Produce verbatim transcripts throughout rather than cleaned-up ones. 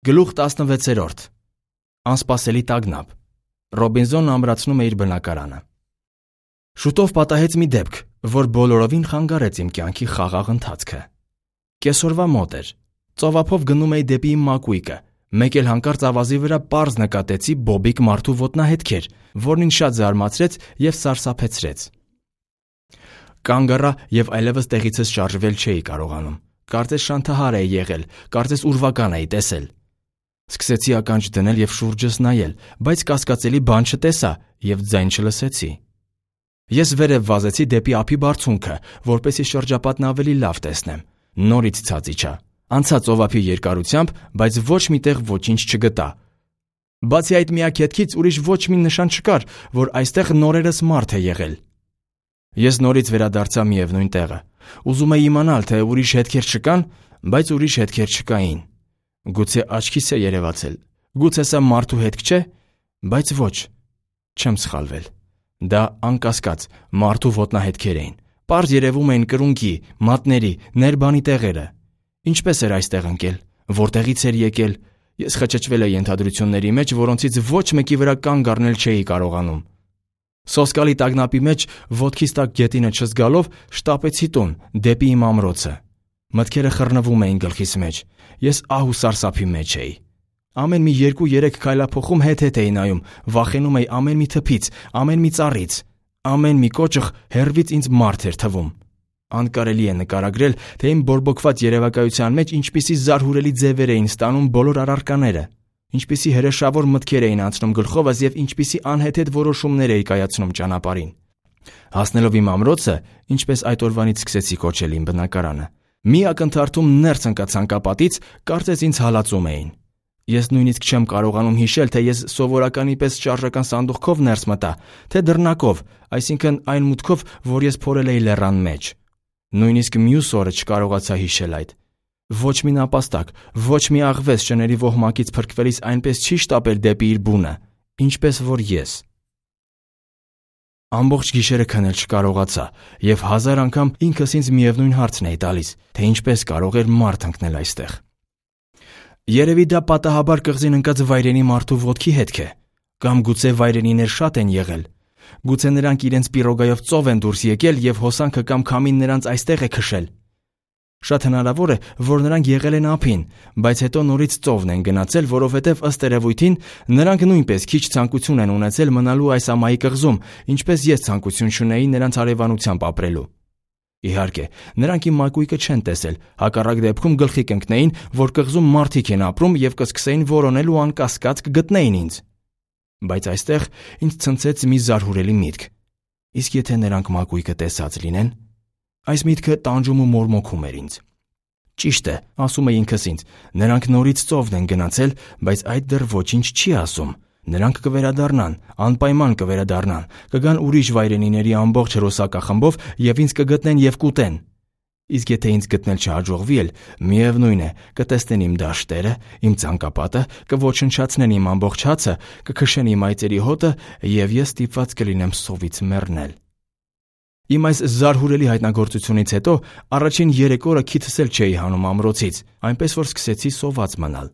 Գլուխ տասնվեցերորդ Անսպասելի տագնապ Ռոբինզոնն ամրացնում է իր բնակարանը։ Շուտով պատահեց մի դեպք, որ բոլորովին խանգարեց իմ կյանքի խաղաղ ընթացքը։ Կեսօրվա մոտ էր։ Ծովափով գնում էի դեպի իմ մակույկը, մեկ էլ հանկարծ ավազի վրա պարզ նկատեցի բոբիկ մարդու ոտնահետքեր, որն ինձ շատ զարմացրեց և սարսափեցրեց։ Կանգ առա և այլևս տեղիցս շարժվել չէի կարողանում։ Կարծես շանթահար էի եղել, կարծես ուրվական էի տեսել։ Սկսեցի ականջ դնել և շուրջս նայել, բայց կասկածելի բան չտեսա և ձայն չլսեցի։ Ես վերև վազեցի դեպի ափի բարձունքը, որպեսզի շրջապատն ավելի լավ տեսնեմ։ Նորից ցած իջա։ Անցա ծովափի երկարությամբ, բայց ոչ մի տեղ ոչինչ չգտա։ Բացի այդ միակ հետքից ուրիշ ոչ մի նշան չկար, որ այստեղ նորերս մարդ է եղել։ Ես նորից վերադարձա միևնույն տեղը։ Ուզում էի իմանալ, թե ուրիշ հետքեր չկան, բայց ուրիշ հետքեր չկային։ Գուցե աչքիս է երևացել։ Գուցե սա մարդու հետք չէ, բայց ոչ, չեմ սխալվել։ Դա անկասկած մարդու ոտնահետքեր էին։ Պարզ երևում էին կրունկի, մատների, ներբանի տեղերը։ Ինչպես էր այստեղ ընկել, որտեղից էր եկել։ Ես խճճվել էի ենթադրությունների մեջ, որոնցից ոչ մեկի վրա կանգ առնել չէի կարողանում։ Սոսկալի տագնապի մեջ ոտքիս տակ գետինը չզգալով շտապեցի տուն, դեպի իմ ամրոցը։ Մտքերը խռնվում էին գլխիս մեջ։ Ես ահ ու սարսափի մեջ էի։ Ամեն մի երկու-երեք քայլափոխում հետ-հետ էի նայում, վախենում էի ամեն մի թփից, ամեն մի ծառից, ամեն մի կոճղ հեռվից ինձ մարդ էր թվում։ Անկարելի է նկարագրել, թե իմ բորբոքված երևակայության մեջ ինչպիսի զարհուրելի ձևեր էին ստանում բոլոր առարկաները, ինչպիսի հրեշավոր մտքեր էին անցնում գլխովս և ինչպիսի անհեթեթ որոշումներ էի կայացնում ճանապարհին։ Հասնելով իմ ամրոցը, ինչպես այդ օրվանից սկսեցի կոչել իմ բնակարանը, մի ակնթարթում ներս ընկա ցանկապատից, կարծես ինձ հալածում էին։ Ես նույնիսկ չեմ կարողանում հիշել, թե ես սովորականի պես շարժական սանդուղքով ներս մտա, թե դռնակով, այսինքն այն մուտքով, որ ես փորել էի լեռան մեջ։ Նույնիսկ մյուս օրը չկարողացա հիշել այդ։ Ոչ մի նապաստակ, ոչ մի աղվես շների ոհմակից փրկվելիս այնպես չի շտապել դեպի իր բունը, ինչպես որ ես։ Ամբողջ գիշերը քնել չկարողացա և հազար անգամ ինքս ինձ միևնույն հարցն էի տալիս, թե ինչպես կարող էր մարդ ընկնել այստեղ։ Երևի դա պատահաբար կղզին ընկած վայրենի մարդու ոտքի հետք է, կամ գուցե վայրենիներ շատ են եղել։ Գուցե նրանք իրենց պիրոգայով ծով են դուրս եկել և հոսանքը կամ քամին նրանց այստեղ է քշել։ Շատ հնարավոր է, որ նրանք եղել են ափին, բայց հետո նորից ծովն են գնացել, որովհետև ըստ երևույթին նրանք նույնպես քիչ ցանկություն են ունեցել մնալու այս ամայի կղզում, ինչպես ես ցանկություն չունեի նրանց հարևանությամբ ապրելու։ Իհարկե, նրանք իմ մակույկը չեն տեսել, հակառակ դեպքում գլխի կընկնեին, որ կղզում մարդիկ են ապրում և կսկսեին որոնել ու անկասկած կգտնեին ինձ։ Բայց այստեղ ինձ ցնցեց մի զարհուրելի միտք։ Իսկ եթե նրանք մակույկը տեսած լինեն։ Այս միտքը տանջում ու մորմոքում էր ինձ։ Ճիշտ է, ասում էի ինքս ինձ, նրանք նորից ծովն են գնացել, բայց այդ դեռ ոչինչ չի ասում։ Նրանք կվերադառնան, անպայման կվերադառնան, կգան ուրիշ վայրենիների ամբողջ հրոսակախմբով և ինձ կգտնեն և կուտեն։ Իսկ եթե ինձ գտնել չհաջողվի էլ, միևնույն է, կտեսնեն իմ դաշտերը, իմ ցանկապատը, կոչնչացնեն իմ ամբողջ հացը, կքշեն իմ այծերի հոտը և ես ստիպված կլինեմ սովից մեռնել։ Իմ այս զարհուրելի հայտնագործությունից հետո առաջին երեք օրը քիթս էլ չէի հանում ամրոցից, այնպես որ սկսեցի սոված մնալ։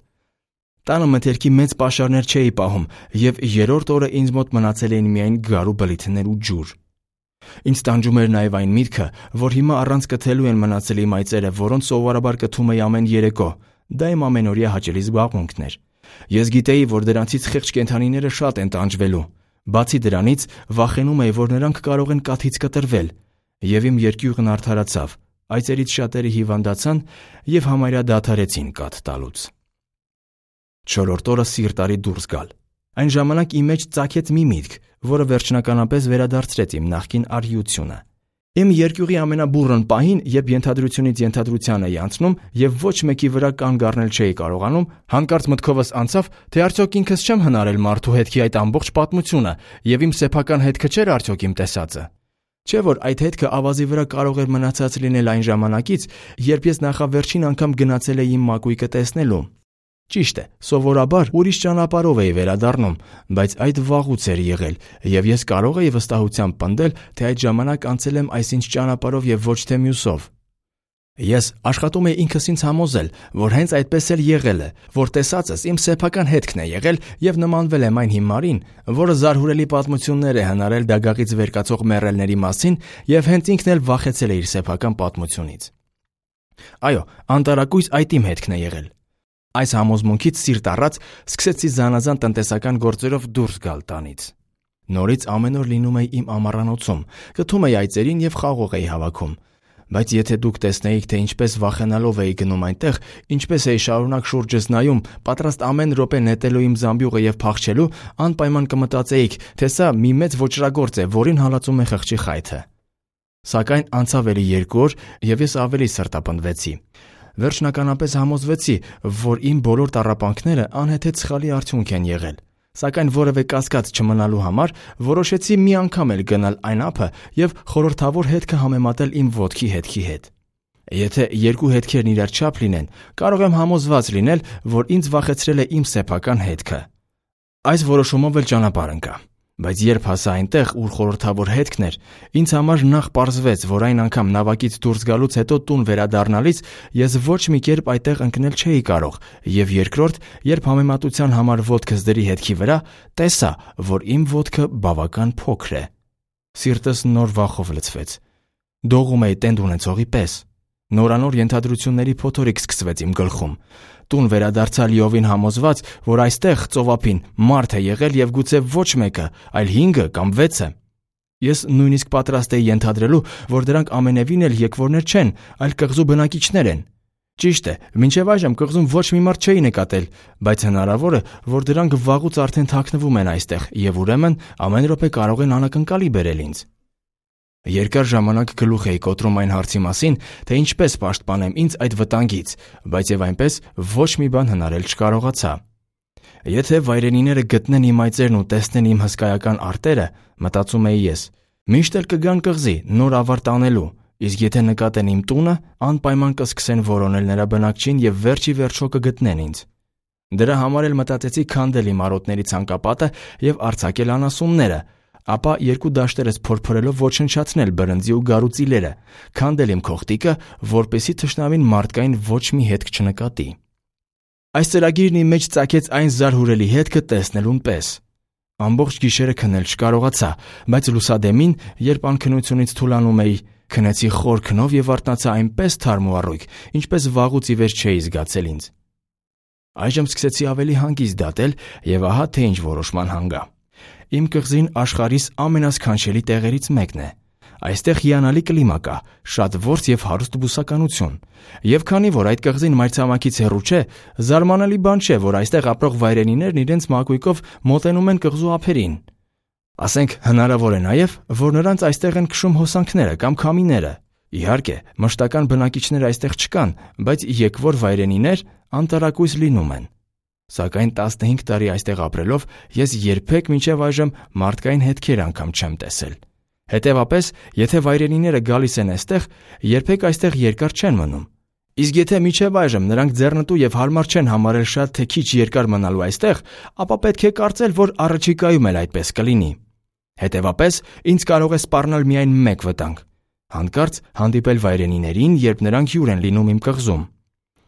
Տանը մթերքի մեծ պաշարներ չէի պահում և երրորդ օրը ինձ մոտ մնացել էին միայն գարու բլիթներ ու ջուր։ Ինձ տանջում էր նաև այն միտքը, որ հիմա առանց կթելու են մնացել իմ այծերը, որոնց սովորաբար կթում էի ամեն երեկո։ Դա իմ ամենօրյա հաճելի զբաղմունքն էր։ Ես գիտեի, որ դրանցից խեղճ կենդանիները շատ են տանջվելու։ Բացի դրանից, վախենում էի, որ նրանք կարող են կաթից կտրվել, և իմ երկյուղն արդարացավ, այծերից շատերը հիվանդացան և համարյա դադարեցին կաթ տալուց։ Չորրորդ օրը սիրտ արի դուրս գալ։ Այն ժամանակ իմ մեջ ծագեց մի միտք, որը վերջնականապես վերադարձրեց իմ նախկին արիությունը։ Իմ երկյուղի ամենաբուռն պահին, երբ ենթադրությունից ենթադրության էի անցնում և ոչ մեկի վրա կանգ առնել չէի կարողանում, հանկարծ մտքովս անցավ, թե արդյոք ինքս չեմ հնարել մարդու հետքի այդ ամբողջ պատմությունը և իմ սեփական հետքը չէր արդյոք իմ տեսածը։ Չէ՞ որ այդ հետքը ավազի վրա կարող էր մնացած լինել այն ժամանակից, երբ ես նախավերջին անգամ գնացել էի իմ մակույկը տեսնելու։ Ճիշտ է, սովորաբար ուրիշ ճանապարհով էի վերադառնում, բայց այդ վաղուց էր եղել, և ես կարող էի վստահությամբ պնդել, թե այդ ժամանակ անցել եմ այսինչ ճանապարհով և ոչ թե մյուսով։ Ես աշխատում էի ինքս ինձ համոզել, որ հենց այդպես էլ եղել է, որ տեսածս իմ սեփական հետքն է եղել եւ նմանվել եմ այն հիմարին, որը զարհուրելի պատմություններ է հնարել դագաղից վեր կացող մեռելների մասին եւ հենց ինքն էլ վախեցել է իր սեփական պատմությունից։ Այո, անտարակույս այդ իմ հետքն է եղել։ Այս համոզմունքից սիրտ առած սկսեցի զանազան տնտեսական գործերով դուրս գալ տանից։ Նորից ամեն օր լինում էի իմ ամառանոցում, գթում էի այծերին եւ խաղող էի հավաքում։ Բայց եթե դուք տեսնեիք, թե ինչպես վախենալով էի գնում այնտեղ, ինչպես էի շարունակ շուրջս նայում, պատրաստ ամեն րոպե նետելու իմ զամբյուղը եւ փախչելու, անպայման կմտածեիք, թե սա մի մեծ ոճրագործ է, որին հալածում է խղճի խայթը։ Սակայն անցավ էլի երկու օր, եւ ես ավելի սրտապնդվեցի։ Վերջնականապես համոզվեցի, որ իմ բոլոր տառապանքները անհեթեթ սխալի արդյունք են եղել։ Սակայն որևէ կասկած չմնալու համար որոշեցի մի անգամ էլ գնալ այն ափը եւ խորհրդավոր հետքը համեմատել իմ ոտքի հետքի հետ։ Եթե երկու հետքերն իրար չափ լինեն, կարող եմ համոզված լինել, որ ինձ վախեցրել է իմ սեփական հետքը։ Այս որոշումով էլ ճանապարհ ընկա։ Բայց երբ հասա այնտեղ, ուր խորհրդավոր հետքն էր, ինձ համար նախ պարզվեց, որ այն անգամ նավակից դուրս գալուց հետո տուն վերադառնալիս ես ոչ մի կերպ այդտեղ ընկնել չէի կարող, եւ երկրորդ, երբ համեմատության համար ոտքս դրի հետքի վրա, տեսա, որ իմ ոտքը բավական փոքր է։ Սիրտս նոր վախով լցվեց։ Դողում էի տենդ ունեցողի պես։ Նորանոր ենթադրությունների փոթորիկ սկսվեց իմ գլխում։ Տուն վերադարձա լիովին համոզված, որ այստեղ ծովափին մարդ է եղել եւ գուցե ոչ մեկը, այլ հինգը կամ վեցը։ Ես նույնիսկ պատրաստ էի ենթադրելու, որ դրանք ամենևին էլ եկվորներ չեն, այլ կղզու բնակիչներ են։ Ճիշտ է, մինչև այժմ կղզում ոչ մի մարդ չէի նկատել, բայց հնարավոր է, որ դրանք վաղուց արդեն թաքնվում են այստեղ եւ ուրեմն ամեն րոպե կարող են անակնկալի բերել ինձ։ Երկար ժամանակ գլուխ էի կոտրում այն հարցի մասին, թե ինչպես պաշտպանեմ ինձ այդ վտանգից, բայց եւ այնպես ոչ մի բան հնարել չկարողացա։ Եթե վայրենիները գտնեն իմ այծերն ու տեսնեն իմ հսկայական արտերը, մտածում էի ես, միշտ էլ կգան կղզի, նոր ավարտ անելու, իսկ եթե նկատեն իմ տունը, անպայման կսկսեն որոնել նրա բնակչին եւ վերջի վերջո կգտնեն ինձ։ Դրա համար էլ մտածեցի քանդել իմ արոտների ցանկապատը եւ արձակել անասունները, ապա երկու դաշտերս փորփրելով ոչնչացնել բրնձի ու գարու ծիլերը, քանդել իմ քողտիկը, որպեսզի թշնամին մարդկային ոչ մի հետք չնկատի։ Այս ծրագիրն իմ մեջ ծագեց այն զարհուրելի հետքը տեսնելուն պես։ Ամբողջ գիշերը քնել չկարողացա, բայց լուսադեմին, երբ անքնությունից թուլանում էի, քնեցի խոր քնով եւ արթնացա այնպես թարմ ու առույգ, ինչպես վաղուց ի վեր չէի զգացել ինձ։ Այժմ սկսեցի ավելի հանգիստ դատել եւ ահա թե ինչ որոշման հանգա։ Իմ կղզին աշխարհիս ամենասքանչելի տեղերից մեկն է։ Այստեղ հիանալի կլիմա կա, շատ որս եւ հարուստ բուսականություն։ Եվ քանի որ այդ կղզին մայրցամաքից հեռու չէ, զարմանալի բան չէ, որ այստեղ ապրող վայրենիներն իրենց մակույկով մոտենում են կղզու ափերին։ Ասենք հնարավոր է նաեւ, որ նրանց այստեղ են քշում հոսանքները կամ քամիները։ Իհարկե, մշտական բնակիչներ այստեղ չկան, բայց եկվոր վայրենիներ անտարակույս լինում են։ Սակայն տասնհինգ տարի այստեղ ապրելով ես երբեք մինչև այժմ մարդկային հետքեր անգամ չեմ տեսել։ Հետևաբար, եթե վայրենիները գալիս են այստեղ, երբեք այստեղ երկար չեն մնում։ Իսկ եթե մինչև այժմ նրանք ձեռնտու եւ հարմար չեն համարել շատ թե քիչ երկար մնալու այստեղ, ապա պետք է կարծել, որ առաջիկայում էլ այդպես կլինի։ Հետևաբար, ինձ կարող է սպառնալ միայն մեկ վտանգ՝ հանկարծ հանդիպել վայրենիներին, երբ նրանք հյուր են լինում իմ կղզում։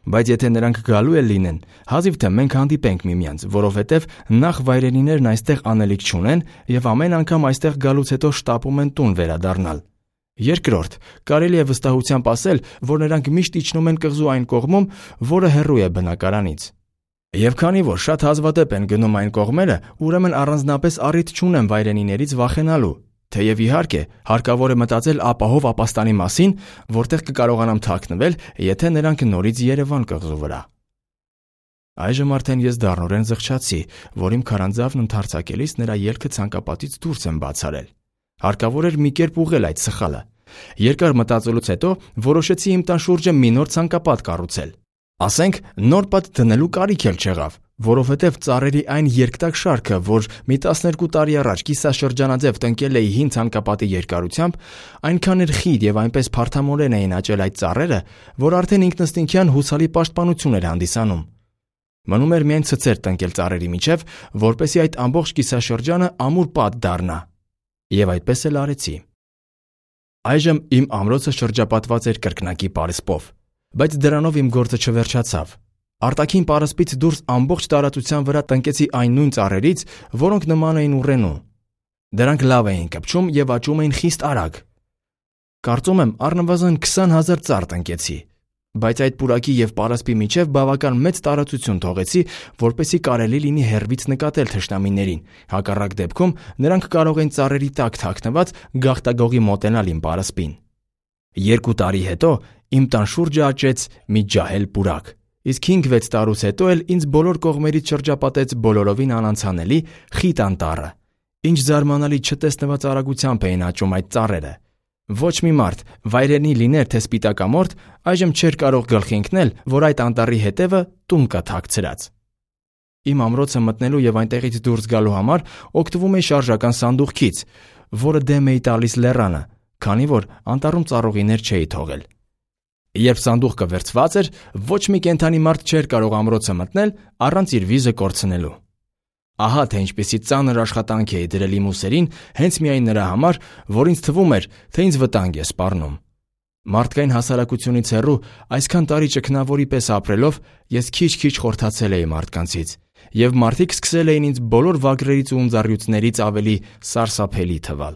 Բայց եթե նրանք գալու էլ լինեն, հազիվ թե մենք հանդիպենք միմյանց, որովհետև նախ վայրենիներն այստեղ անելիք չունեն եւ ամեն անգամ այստեղ գալուց հետո շտապում են տուն վերադառնալ։ Երկրորդ, կարելի է վստահությամբ ասել, որ նրանք միշտ իջնում են կղզու այն կողմում, որը հեռու է բնակարանից։ Եվ քանի որ շատ հազվադեպ են գնում այն կողմերը, ուրեմն առանձնապես առիթ չունեմ վայրենիներից վախենալու։ Թեև իհարկե, հարկավոր է մտածել ապահով ապաստանի մասին, որտեղ կկարողանամ թաքնվել, եթե նրանք նորից Երևան կղզու վրա։ Այժմ արդեն ես դառնորեն զղջացի, որ իմ քարանձավն ընդարձակելիս նրա ելքը ցանկապատից դուրս եմ բացարել։ Հարկավոր էր մի կերպ ուղղել այդ սխալը։ Երկար մտածելուց հետո որոշեցի իմ տան շուրջը մի նոր ցանկապատ կառուցել։ Ասենք, նոր պատ դնելու կարիք էլ չեղավ, որովհետև ծառերի այն երկտակ շարքը, որ մի տասներկու տարի առաջ կիսաշրջանաձև տնկել էի հին ցանկապատի երկարությամբ, այնքան էր խիտ եւ այնպես փարթամորեն էին աճել այդ ծառերը, որ արդեն ինքնըստինքյան հուսալի պաշտպանություն էր հանդիսանում։ Մնում էր միայն ցցեր տնկել ծառերի միջև, որպեսզի այդ ամբողջ կիսաշրջանը ամուր պատ դառնա։ Եվ այդպես էլ արեցի։ Այժմ իմ ամրոցը շրջապատված էր կրկնակի պարսպով։ Բայց դրանով իմ գործը չվերջացավ։ Արտաքին պարսպից դուրս ամբողջ տարածության վրա տնկեցի այն նույն ծառերից, որոնք նման էին ուռենու։ Դրանք լավ էին կպչում եւ աճում էին խիստ արագ։ Կարծում եմ առնվազն քսան հազար ծառ տնկեցի, բայց այդ պուրակի եւ պարսպի միջև բավական մեծ տարածություն թողեցի, որպեսզի կարելի լինի հեռվից նկատել թշնամիներին, հակառակ դեպքում նրանք կարող են ծառերի տակ թաքնված գաղտագողի մոտենալ իմ պարսպին։ Երկու տարի հետո իմ տան շուրջը աճեց մի ջահել պուրակ, իսկ հինգ-վեց տարուց հետո էլ ինձ բոլոր կողմերից շրջապատեց բոլորովին անանցանելի խիտ անտառը։ Ինչ զարմանալի չտեսնված արագությամբ էին աճում այդ ծառերը։ Ոչ մի մարդ, վայրենի լիներ թե սպիտակամորթ, այժմ չէր կարող գլխի ընկնել, որ այդ անտառի հետևը տուն կա թաքցրած։ Իմ ամրոցը մտնելու եւ այնտեղից դուրս գալու համար օգտվում էի շարժական սանդուղքից, որը դեմ էի տալիս լեռանը, քանի որ անտառում ծառուղիներ չէի թողել։ Երբ սանդուղքը վերցված էր, ոչ մի կենդանի մարդ չէր կարող ամրոցը մտնել առանց իր վիզը կորցնելու։ Ահա թե ինչպեսի ծանր աշխատանք էի դրել իմ ուսերին հենց միայն նրա համար, որ ինձ թվում էր, թե ինձ վտանգ է սպառնում։ Մարդկային հասարակությունից հեռու այսքան տարի ճգնավորի պես ապրելով ես քիչ-քիչ խորթացել էի մարդկանցից, եւ մարդիկ սկսել էին ինձ բոլոր վագրերից ու ունձառյուծներից ավելի սարսափելի թվալ։